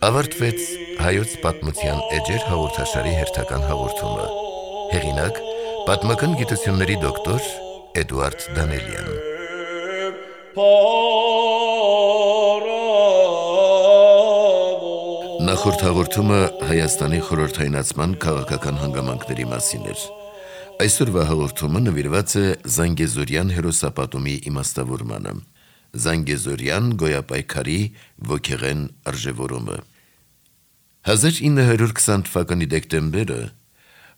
Ավարտվեց հայոց պատմության էջեր հաղորդաշարի հերթական հաղորդումը։ Հեղինակ՝ պատմական գիտությունների դոկտոր Էդուարդ Դանելյան։ Նախորդ հաղորդումը Հայաստանի խորհրդայնացման քաղաքական հանգամանքների մասին էր։ Այսօրվա հաղորդումը նվիրված է Զանգեզուրյան հերոսապատումի իմաստավորմանը։ Զանգեզուրյան գոյապայքարի ոգեղեն արժևորումը։ 1920 թվականի դեկտեմբերը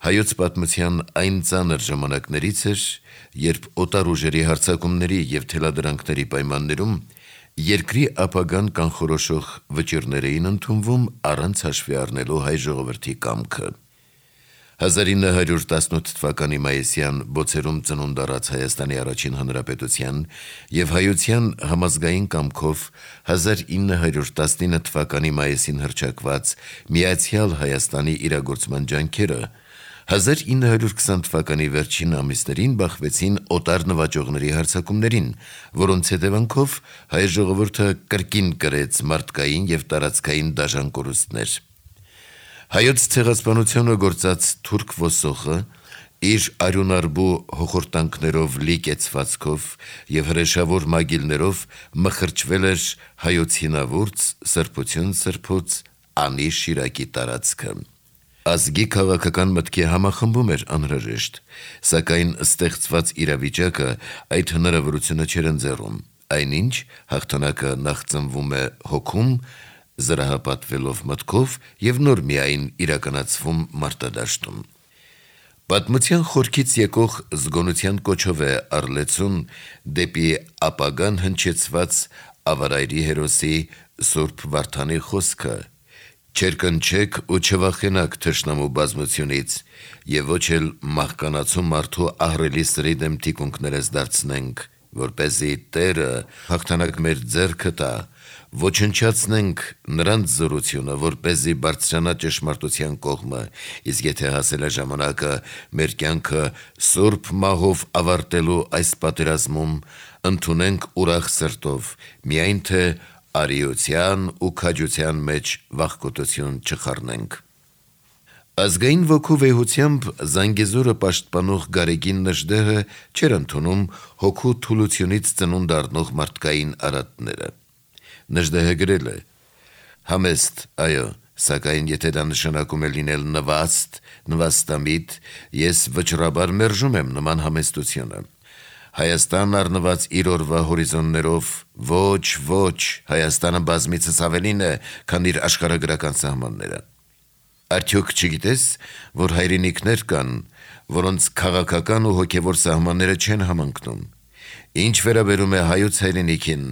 հայոց պատմության այն ծանր ժամանակներից էր, երբ օտար ուժերի հարձակումների և թելադրանքների պայմաններում երկրի ապագան կանխորոշող վճիռներ էին ընդունվում առանց հաշվի առնելու հայ ժողովրդի կամքը։ 1918 թվականի մայիսյան բոցերում ծնունդ առած Հայաստանի առաջին հանրապետության և հայության համազգային կամքով 1919 թվականի մայիսին հռչակված Միացյալ Հայաստանի իրագործման ջանքերը 1920 թվականի վերջին ամիսներին բախվեցին օտար նվաճողների հարձակումներին, որոնց հետևանքով հայ ժողովուրդը կրկին կրեց մարդկային և տարածքային դաժան կորուստներ։ Հայոց ցեղասպանությունը գործած թուրք ոսոխը իր արյունարբու հոխորտանքներով լի կեցվածքով և հրեշավոր մագիլներով մխրճվել էր հայոց հինավուրց, սրբություն սրբոց, անի շիրակի տարածքը։ Ազգի քաղաքական մտքի համախմբում էր անհրաժեշտ, սակայն ստեղծված իրավիճակը այդ հնարավորությունը չէր ընձեռում, այնինչ հաղթանակը նախ ծնվում է հոգում, զրահապատվելով մտքով և նոր միայն իրականացվում մարտադաշտում։ Պատմության խորքից եկող զգոնության կոչով է Առլեցուն դեպի ապագան հնչեցված ավարայրի հերոսի Սուրբ Վարդանի խոսքը. «Չերկնչեք ու չվախենաք թշնամու բազմությունից, և ոչ էլ մահկանացու մարդու ահռելի սրի դեմ թիկունքներս դարձնենք, որպեսզի Տերը հաղթանակ մեր ձեռքը տա, ոչնչացնենք նրանց զորությունը, որպեսզի բարձրանա ճշմարտության կողմը, իսկ եթե հասել է ժամանակը մեր կյանքը սուրբ մահով ավարտելու այս պատերազմում, ընդունենք ուրախ սրտով, միայն թե արիության ու քաջության մեջ վախկոտություն չխառնենք»։ Ազգային ոգու վեհությամբ Զանգեզուրը պաշտպանող Գարեգին Նժդեհը չէր ընդունում հոգու թուլությունից ծնունդ առնող մարդկային արատները։ Նժդեհը գրել է. «Համեստ, այո, սակայն եթե դա նշանակում է լինել նվաստ, նվաստամիտ, ես վճռաբար մերժում եմ նման համեստությունը։ Հայաստան առնված իր օրվա հորիզոններով, ոչ, Հայաստանը բազմիցս ավելին է, քան իր աշխարհագրական սահմանները։ Արդյոք չգիտես, որ հայրենիքներ կան, որոնց քաղաքական ու հոգևոր սահմանները չեն համընկնում։ Ինչ վերաբերում է հայոց հայրենիքին,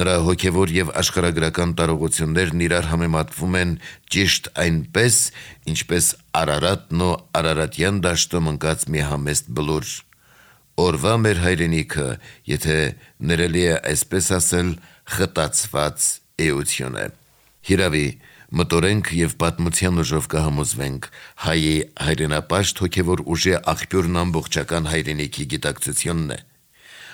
նրա հոգևոր և աշխարհագրական տարողություններն իրար համեմատվում են ճիշտ այնպես, ինչպես Արարատն ու Արարատյան դաշտում ընկած մի համեստ բլուր։ Օրվա մեր հայրենիքը, եթե ներելի է այսպես ասել, խտացված էություն է։ Հիրավի, մտորենք և պատմության ուժով կհամոզվենք, հայի հայրենապաշտ հոգևոր ուժի աղբյուրն ամբողջական հայրենիքի գիտակցությունն է։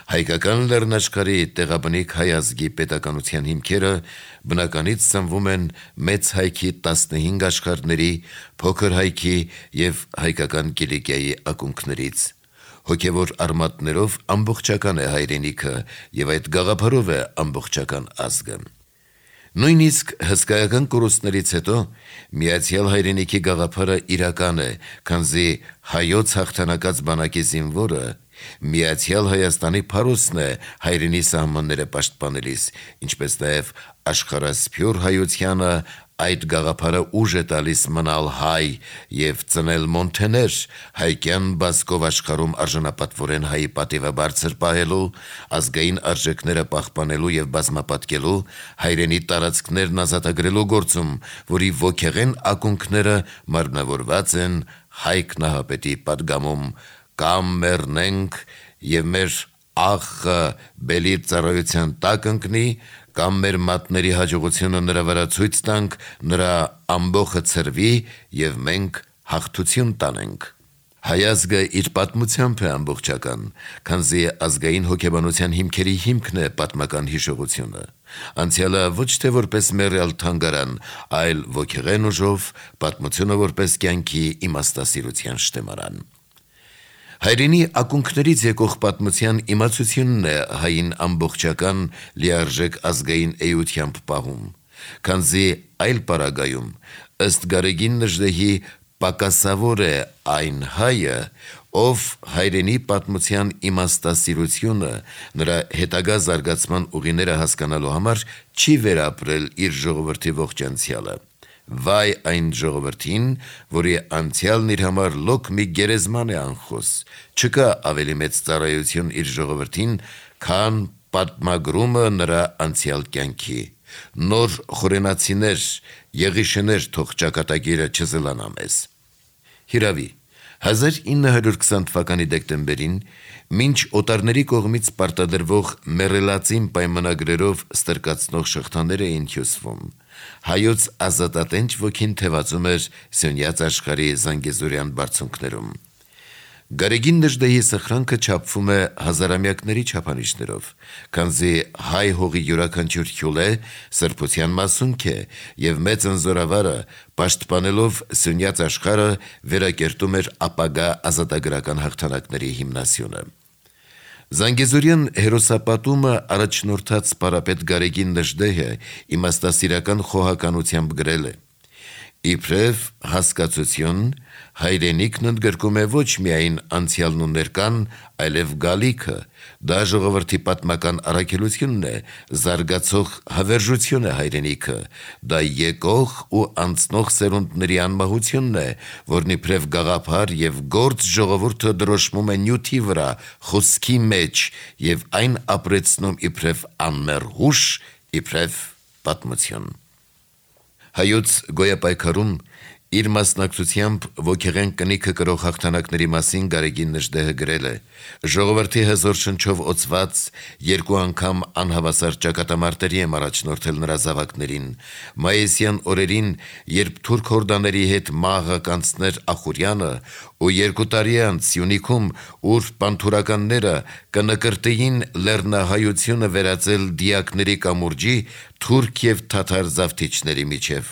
Հայկական լեռնաշխարհի տեղաբնիկ հայ ազգի պետականության հիմքերը բնականից ծնվում են մեծ հայքի 15 աշխարհների, փոքր հայքի և հայկական Կիլիկիայի ակունքներից։ Հոգևոր արմատներով ամբողջական է հայրենիքը և այդ գաղափարով է ամբողջական ազգը։ Նույնիսկ հսկայական կորուստներից հետո Միացյալ Հայրենիքի գաղափարը իրական է, քանզի հայոց հաղթանակած բանակի զինվորը Միացյալ Հայաստանի փարոսն է հայրենի սահմանները պաշտպանելիս, ինչպես նաև աշխարհասփյուր հայությանը այդ գաղափարը ուժ է տալիս մնալ հայ և ծնել մոնթեներ հայկյան բազկով աշխարհում արժանապատվորեն հայի պատիվը բարձր պահելու, ազգային արժեքները պահպանելու և բազմապատկելու, հայրենի տարածքներն ազատագրելու գործում, որի ոգեղեն ակունքները մարմնավորված են Հայք Նահապետի պատգամում «Կամ մեռնենք և մեր աղը բելի ծառայության տակ ընկնի, կամ մեր մատների հաջողությունը նրա վրա ցույց տանք, նրա ամբոխը ցրվի և մենք հաղթություն տանենք»։ Հայազգը իր պատմությամբ է ամբողջական, քանզի ազգային հոգեբանության հիմքերի հիմքն է պատմական հիշողությունը։ Անցյալը ոչ թե որպես մեռյալ թանգարան, այլ ոգեղեն ուժով, պատմությունը որպես կյանքի իմաստասիրության շտեմարան։ Հայրենի ակունքներից եկող պատմության իմացությունն է հային ամբողջական լիարժեք ազգային էությամբ պահում, քանզի այլ պարագայում, ըստ Գարեգին Նժդեհի, պակասավոր է այն հայը, ով հայրենի պատմության իմաստասիրությունը, նրա հետագա զարգացման ուղիները հասկանալու համար չի վերապրել իր ժողովրդի ողջ անցյալը։ Վայ այն ժողովրդին, որի անցյալն իր համար լոկ մի գերեզման է անխոս, չկա ավելի մեծ ծառայություն իր ժողովրդին, քան պատմագրումը նրա անցյալ կյանքի։ Նոր խորենացիներ, եղիշներ թող ճակատագիրը չզլանա մեզ։ Հիրավի, 1920 թվականի դեկտեմբերին, մինչ օտարների կողմից պարտադրվող մեռելածին պայմանագրերով ստրկացնող շղթաներ էին հյուսվում, հայոց ազատատենչ ոգին թևածում էր Սյունյաց աշխարհի Զանգեզուրյան բարձունքներում։ Գարեգին Նժդեհի սխրանքը չափվում է հազարամյակների չափանիշներով, քանզի հայ հողի յուրաքանչյուր հյուլե սրբության մասունք է և մեծ ընզորավարը, պաշտպանելով Սյունյաց աշխարհը, վերակերտում էր ապագա ազատագրական հաղթանակների հիմնասյունը։ Զանգեզուրյան հերոսապատումը առաջնորդած պարապետ Գարեգին Նժդեհը իմաստասիրական խոհականությամբ գրել է. «Իբրև հասկացություն, հայրենիքն ընդգրկում է ոչ միայն անցյալն ու ներկան, այլև գալիքը, դա ժողովրդի պատմական առաքելությունն է, զարգացող հավերժություն է հայրենիքը, դա եկող ու անցնող սերունդների անմահությունն է, որն իբրև գաղափար և գործ ժողովուրդը դրոշմում է նյութի վրա, խոսքի մեջ և այն ապրեցնում իբրև անմեռ հուշ, իբրև պատմություն»։ Հայոց գոյապայքարում իր մասնակցությամբ ոգեղեն կնիքը կրող հաղթանակների մասին Գարեգին Նժդեհը գրել է. «Ժողովրդի հզոր շնչով օծված, երկու անգամ անհավասար ճակատամարտերի եմ առաջնորդել նրա զավակներին։ Մայիսյան օրերին, երբ թուրք հորդաների հետ մաղը կանցներ Ախուրյանը, ու 2 տարի անց Սյունիքում, ուր պանթուրականները կնկրտեին լեռնահայությունը վերածել դիակների կամուրջի, թուրք և թաթար զավթիչների միջև,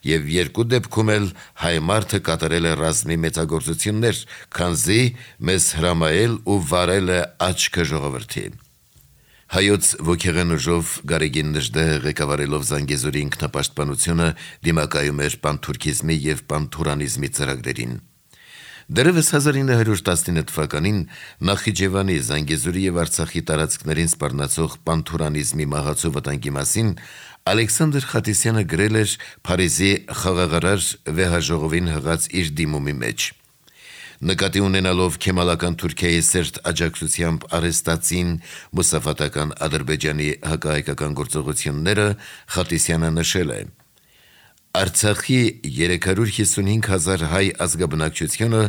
և երկու դեպքում էլ հայ մարդը կատարել է ռազմի մեծագործություններ, քանզի մեզ հրամայել ու վարել է աչքը ժողովրդի»։ Հայոց ոգեղեն ուժով Գարեգին Նժդեհը ղեկավարելով Զանգեզուրի ինքնապաշտպանությունը դիմակայում էր պանթուրքիզմի և պանթուրանիզմի ծրագրերին։ Դեռևս 1919 թվականին Նախիջևանի, Զանգեզուրի և Արցախի տարածքներին սպառնացող պանթուրանիզմի մահացու վտանգի մասին Ալեքսանդր Խատիսյանը գրել էր Փարիզի խաղաղարար վեհաժողովին հղած իր դիմումի մեջ. Նկատի ունենալով քեմալական Թուրքիայի սերտ աջակցությամբ արհեստացին մուսաֆատական Ադրբեջանի հակահայկական գործողությունները, Խատիսյանը նշել է. «Արցախի 355,000 հայ ազգաբնակչությունը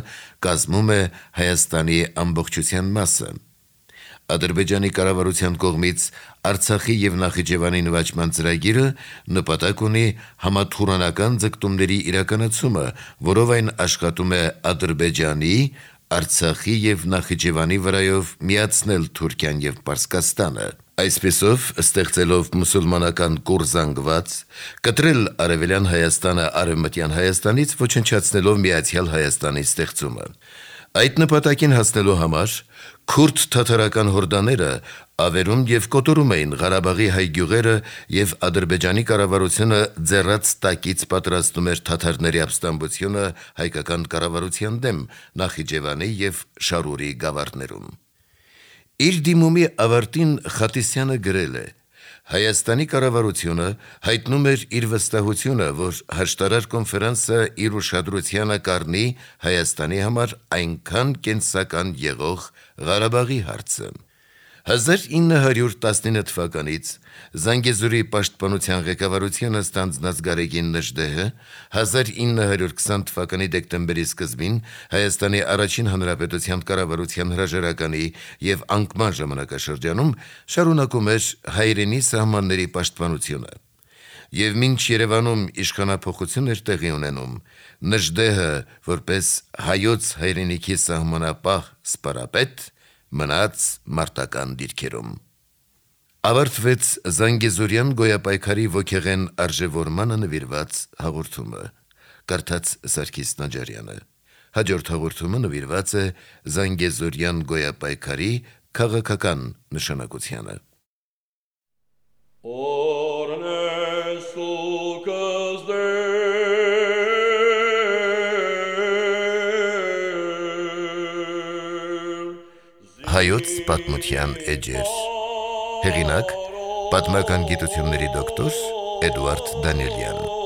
կազմում է Հայաստանի ամբողջության մասը։ Ադրբեջանի կառավարության կողմից Արցախի և Նախիջևանի նվաճման ծրագիրը նպատակ ունի համաթուրանական ձգտումների իրականացումը, որով այն աշխատում է Ադրբեջանի, Արցախի և Նախիջևանի վրայով միացնել Թուրքիան և Պարսկաստանը, այսպիսով ստեղծելով մուսուլմանական կուռ զանգված, կտրել Արևելյան Հայաստանը Արևմտյան Հայաստանից, ոչնչացնելով Միացյալ Հայաստանի ստեղծումը։ Այդ նպատակին հասնելու համար քուրդ-թաթարական հորդաները ավերում և կոտորում էին Ղարաբաղի հայ գյուղերը և Ադրբեջանի կառավարությունը ձեռաց տակից պատրաստում էր թաթարների ապստամբությունը հայկական կառավարության դեմ Նախիջևանի և Շարուրի գավառներում»։ Իր դիմումի ավարտին Խատիսյանը գրել է. «Հայաստանի կառավարությունը հայտնում էր իր վստահությունը, որ հաշտարար կոնֆերանսը իր ուշադրությանը կառնի Հայաստանի համար այնքան կենսական եղող Ղարաբաղի հարցը»։ 1919 թվականից Զանգեզուրի պաշտպանության ղեկավարությունը ստանձնած Գարեգին Նժդեհը 1920 թվականի դեկտեմբերի սկզբին Հայաստանի առաջին հանրապետության կառավարության հրաժարականի և անկման ժամանակաշրջանում շարունակում էր հայրենի սահմանների պաշտպանությունը։ Եվ մինչ Երևանում իշխանափոխություն էր տեղի ունենում, Նժդեհը, որպես հայոց հայրենիքի սահմանապահ սպարապետ, մնաց մարտական դիրքերում։ Ավարտվեց Զանգեզուրյան գոյապայքարի ոգեղեն արժևորմանը նվիրված հաղորդումը։ Կարդաց Սարգիս Նաջարյանը։ Հաջորդ հաղորդումը նվիրված է Զանգեզուրյան գոյապայքարի քաղաքական նշանակությանը։ Հայոց պատմության էջեր։ Հեղինակ՝ պատմական գիտությունների դոկտոր Էդուարդ Դանիելյան։